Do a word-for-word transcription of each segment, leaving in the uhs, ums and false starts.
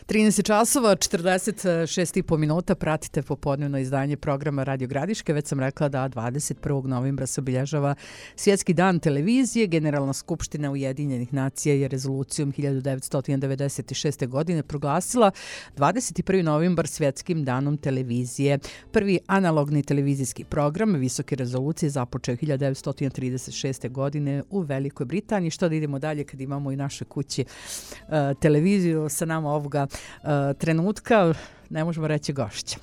trinaest časova, četrdeset šest i po minuta, pratite popodnevno izdanje programa Radio Gradiške. Već sam rekla da dvadeset prvog novembra se obilježava Svjetski dan televizije. Generalna skupština Ujedinjenih nacija je rezolucijom hiljadu devetsto devedeset šeste. godine proglasila dvadeset prvi novembar Svjetskim danom televizije. Prvi analogni televizijski program visoke rezolucije započeo hiljadu devetsto trideset šeste. godine u Velikoj Britaniji. Što da idemo dalje kad imamo i naše kući uh, televiziju sa nama ovoga uh, trenutka, ne možemo reći gošća.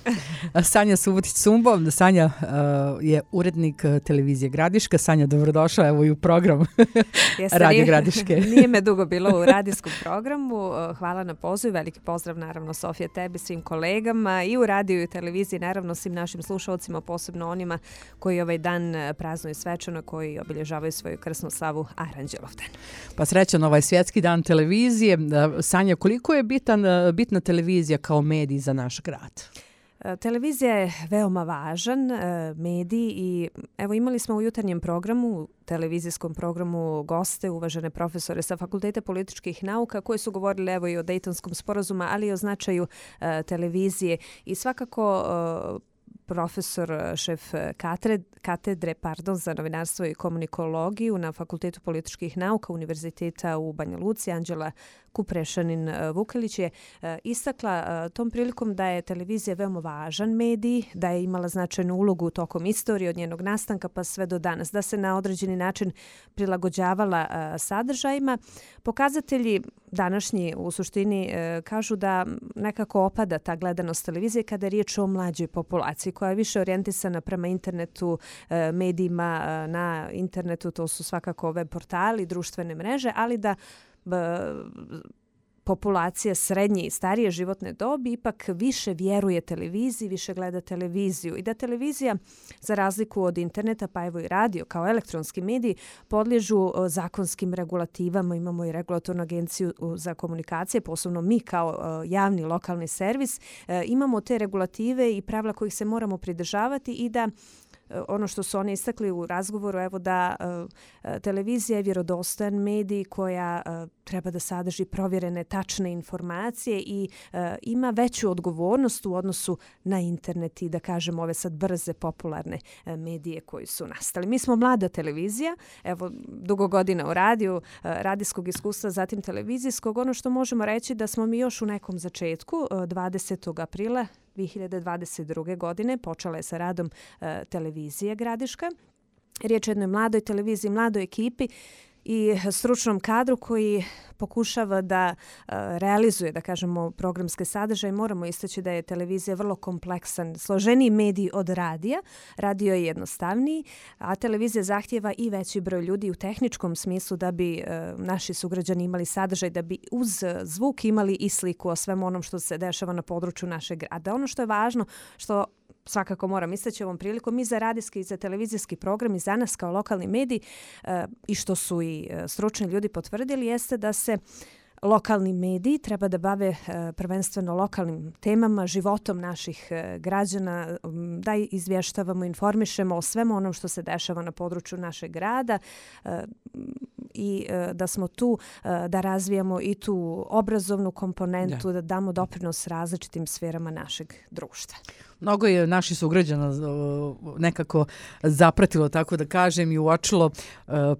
Sanja Subotić-Sumbo. Sanja uh, je urednik televizije Gradiška. Sanja, dobrodošla evo i u program Radio Gradiške. Nije me dugo bilo u radijskom programu. Hvala na pozivu. Veliki pozdrav naravno Sofija tebi, svim kolegama i u radiju i televiziji, naravno svim našim slušalcima, posebno onima koji ovaj dan praznuju svečano, koji obilježavaju svoju krsnu slavu Aranđelovdan. Pa srećan ovaj Svjetski dan televizije. Sanja, koliko je bitan, bitna televizija kao medij za naš grad? Televizija je veoma važan medij i evo imali smo u jutarnjem programu, televizijskom programu goste, uvažene profesore sa Fakulteta političkih nauka koji su govorili evo i o Dejtonskom sporazumu, ali i o značaju televizije i svakako profesor, šef katedre, katedre pardon, za novinarstvo i komunikologiju na Fakultetu političkih nauka Univerziteta u Banja Luci, Anđela Kuprešanin-Vukelić je istakla tom prilikom da je televizija veoma važan medij, da je imala značajnu ulogu tokom istorije od njenog nastanka pa sve do danas, da se na određeni način prilagođavala sadržajima. Pokazatelji današnji u suštini kažu da nekako opada ta gledanost televizije kada je riječ o mlađoj populaciji koja je više orijentisana prema internetu, medijima na internetu, to su svakako web portali, društvene mreže, ali da populacija srednje i starije životne dobi ipak više vjeruje televiziji, više gleda televiziju i da televizija, za razliku od interneta, pa evo i radio kao elektronski mediji, podliježu zakonskim regulativama. Imamo i regulatornu agenciju za komunikacije, posebno mi kao javni lokalni servis. Imamo te regulative i pravila kojih se moramo pridržavati i da ono što su oni istakli u razgovoru, evo da uh, televizija je vjerodostojan medij koja uh, treba da sadrži provjerene tačne informacije i uh, ima veću odgovornost u odnosu na internet i da kažem ove sad brze popularne uh, medije koji su nastali. Mi smo mlada televizija, evo dugo godina u radiju, uh, radijskog iskustva, zatim televizijskog. Ono što možemo reći da smo mi još u nekom začetku, uh, dvadesetog aprila dvije hiljade dvadeset druge. godine počela je sa radom uh, televizije Gradiška. Riječ je o jednoj mladoj televiziji, mladoj ekipi i stručnom kadru koji pokušava da uh, realizuje, da kažemo, programske sadržaje. Moramo istaći da je televizija vrlo kompleksan, složeniji medij od radija. Radio je jednostavniji, a televizija zahtjeva i veći broj ljudi u tehničkom smislu da bi uh, naši sugrađani imali sadržaj, da bi uz zvuk imali i sliku o svemu onom što se dešava na području našeg grada. Ono što je važno, što svakako moram istaći ovom prilikom, mi za radijski i za televizijski program i za nas kao lokalni medij uh, i što su i uh, stručni ljudi potvrdili jeste da se lokalni mediji treba da bave uh, prvenstveno lokalnim temama, životom naših uh, građana, um, da izvještavamo, informišemo o svemu onom što se dešava na području našeg grada uh, i uh, da smo tu uh, da razvijamo i tu obrazovnu komponentu, da, da damo doprinos različitim sferama našeg društva. Mnogo je naših sugrađana nekako zapratilo, tako da kažem, i uočilo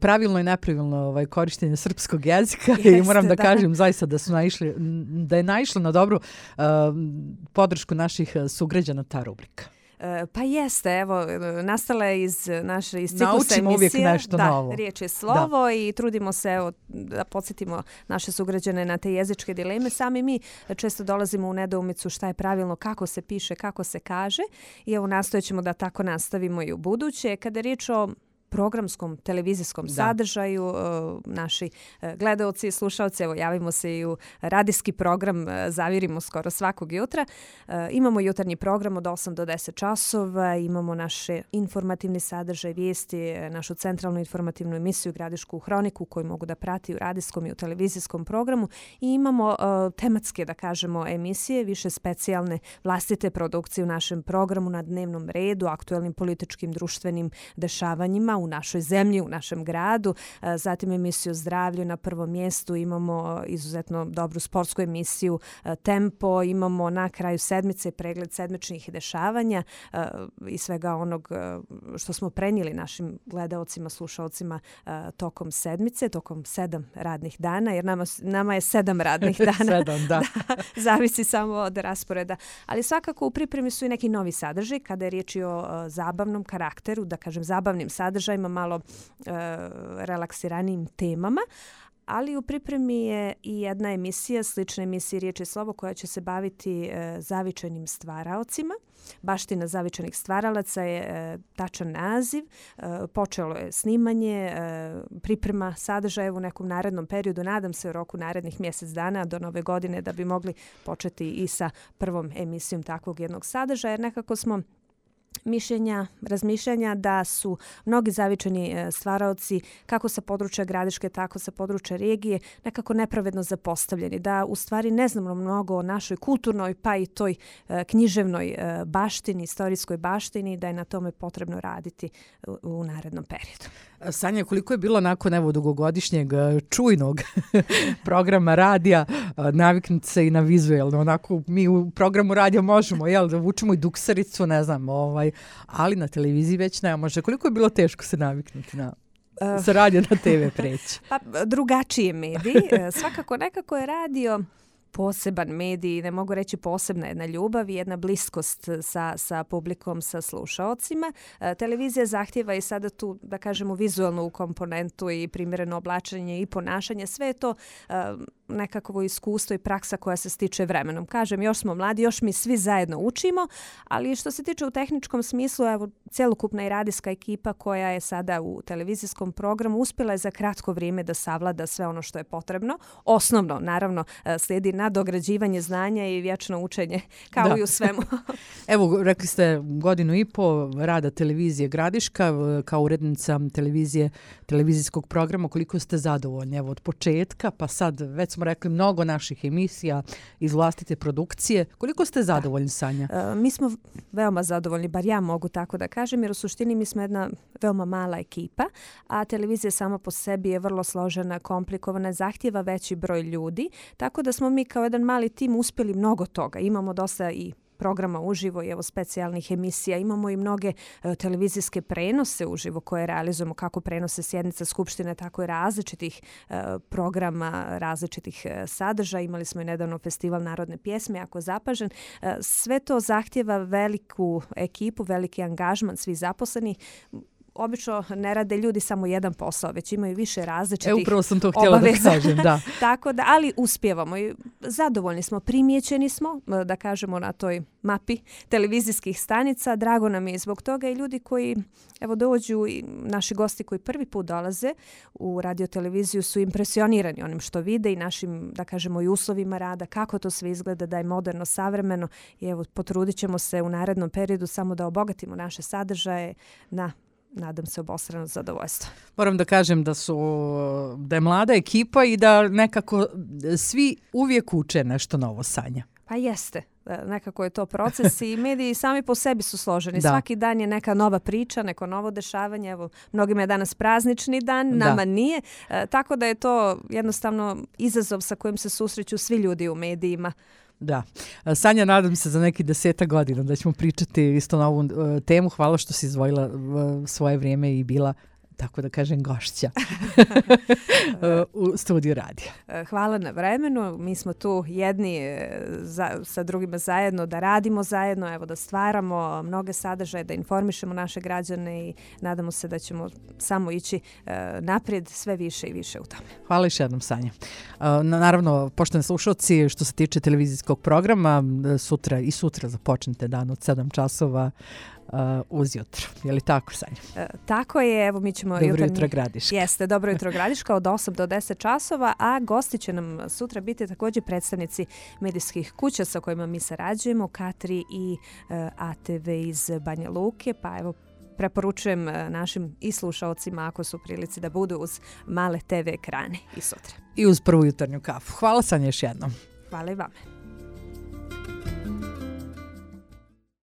pravilno i nepravilno ovaj, korištenje srpskog jezika. Jeste, i moram da, da kažem zaista da su naišli, da je naišla na dobru uh, podršku naših sugrađana ta rubrika. Pa jeste, evo, nastala je iz naše iz ciklusa Naučimo emisije. Uvijek nešto da, novo. Riječ je slovo da. I trudimo se evo, da podsjetimo naše sugrađane na te jezičke dileme. Sami mi često dolazimo u nedoumicu šta je pravilno, kako se piše, kako se kaže i evo nastojećemo da tako nastavimo i u buduće. Kada je riječ o programskom televizijskom da. sadržaju. Naši gledaoci i slušalci, evo javimo se i u radijski program, zavirimo skoro svakog jutra. Imamo jutarnji program od osam do deset časova, imamo naše informativni sadržaj, vijesti, našu centralnu informativnu emisiju Gradišku hroniku koju mogu da prati u radijskom i u televizijskom programu i imamo uh, tematske, da kažemo, emisije, više specijalne vlastite produkcije u našem programu na dnevnom redu, aktuelnim političkim društvenim dešavanjima nama, u našoj zemlji, u našem gradu. Zatim emisiju Zdravlju na prvom mjestu, imamo izuzetno dobru sportsku emisiju Tempo, imamo na kraju sedmice pregled sedmičnih dešavanja i svega onog što smo prenijeli našim gledaocima, slušaocima tokom sedmice, tokom sedam radnih dana, jer nama, nama je sedam radnih dana. sedam, da. da. Zavisi samo od rasporeda. Ali svakako u pripremi su i neki novi sadržaj kada je riječ o uh, zabavnom karakteru, da kažem zabavnim sadržajima, malo uh, relaksiranijim temama. Ali u pripremi je i jedna emisija, slična emisiji Riječ i slovo, koja će se baviti e, zavičajnim stvaraocima. Baština zavičajnih stvaralaca je e, tačan naziv. E, počelo je snimanje, e, priprema sadržaja u nekom narednom periodu. Nadam se u roku narednih mjesec dana do nove godine da bi mogli početi i sa prvom emisijom takvog jednog sadržaja. Jer nekako smo mišljenja, razmišljanja da su mnogi zavičajni stvaraoci kako sa područja Gradiške, tako sa područja regije nekako nepravedno zapostavljeni. Da u stvari ne znamo mnogo o našoj kulturnoj pa i toj književnoj baštini, istorijskoj baštini, da je na tome potrebno raditi u, u narednom periodu. Sanja, koliko je bilo nakon evo dugogodišnjeg čujnog programa radija naviknuti se i na vizuelno, onako mi u programu radija možemo, jel, da vučemo i duksericu, ne znam, ovaj, ali na televiziji već ne može. Koliko je bilo teško se naviknuti na sa radija na te ve preći? Pa drugačiji medij, svakako nekako je radio poseban medij, ne mogu reći posebna jedna ljubav i jedna bliskost sa, sa publikom, sa slušaocima. E, televizija zahtjeva i sada tu, da kažemo, vizualnu komponentu i primjereno oblačenje i ponašanje. Sve je to e, nekakvo iskustvo i praksa koja se stiče vremenom. Kažem, još smo mladi, još mi svi zajedno učimo, ali što se tiče u tehničkom smislu, evo, cjelokupna i radijska ekipa koja je sada u televizijskom programu uspjela je za kratko vrijeme da savlada sve ono što je potrebno. Osnovno, naravno, slijedi nadograđivanje znanja i vječno učenje, kao da. I u svemu. Evo, rekli ste godinu i po rada televizije Gradiška, kao urednica televizije, televizijskog programa, koliko ste zadovoljni? Evo, od početka, pa sad, već smo rekli, mnogo naših emisija iz vlastite produkcije. Koliko ste zadovoljni, Sanja? E, mi smo veoma zadovoljni, bar ja mogu tako da kažem, jer u suštini mi smo jedna veoma mala ekipa, a televizija sama po sebi je vrlo složena, komplikovana, zahtjeva veći broj ljudi, tako da smo mi kao jedan mali tim uspjeli mnogo toga. Imamo dosta i programa uživo i evo specijalnih emisija. Imamo i mnoge e, televizijske prenose uživo koje realizujemo, kako prenose sjednica Skupštine, tako i različitih e, programa, različitih e, sadržaja. Imali smo i nedavno festival narodne pjesme, jako zapažen. E, sve to zahtjeva veliku ekipu, veliki angažman svih zaposlenih. Obično ne rade ljudi samo jedan posao, već imaju više različitih obaveza. E, upravo sam to htjela da kažem, da. Tako da, ali uspijevamo i zadovoljni smo, primijećeni smo, da kažemo, na toj mapi televizijskih stanica. Drago nam je zbog toga i ljudi koji, evo, dođu i naši gosti koji prvi put dolaze u radioteleviziju su impresionirani onim što vide i našim, da kažemo, i uslovima rada, kako to sve izgleda, da je moderno, savremeno i evo, potrudit ćemo se u narednom periodu samo da obogatimo naše sadržaje na, nadam se, obostrano zadovoljstvo. Moram da kažem da su da je mlada ekipa i da nekako svi uvijek uče nešto novo, Sanja. Pa jeste. Nekako je to proces i mediji sami po sebi su složeni. Da. Svaki dan je neka nova priča, neko novo dešavanje. Evo, mnogima je danas praznični dan, nama da. Nije. E, tako da je to jednostavno izazov sa kojim se susreću svi ljudi u medijima. Da. Sanja, nadam se za neki deseta godina da ćemo pričati isto na ovu uh, temu. Hvala što si izdvojila uh, svoje vrijeme i bila, tako da kažem, gošća u studiju radija. Hvala na vremenu. Mi smo tu jedni za, sa drugima zajedno da radimo zajedno, evo da stvaramo mnoge sadržaje, da informišemo naše građane i nadamo se da ćemo samo ići uh, naprijed sve više i više u tome. Hvala još jednom, Sanja. Uh, naravno, poštovani slušalci, što se tiče televizijskog programa, sutra i sutra započnete dan od sedam časova Uh, uz jutro. Je li tako, Sanja? E, tako je, evo mi ćemo... Dobro jutarnji... jutro Gradiška. Jeste, dobro jutro Gradiška od osam do deset časova, a gosti će nam sutra biti također predstavnici medijskih kuća sa kojima mi sarađujemo, K tri i uh, A T V iz Banja Luke, pa evo preporučujem našim i slušaocima ako su u prilici da budu uz male te ve ekrane i sutra. I uz prvu jutarnju kafu. Hvala, Sanja, još jednom. Hvala i vama.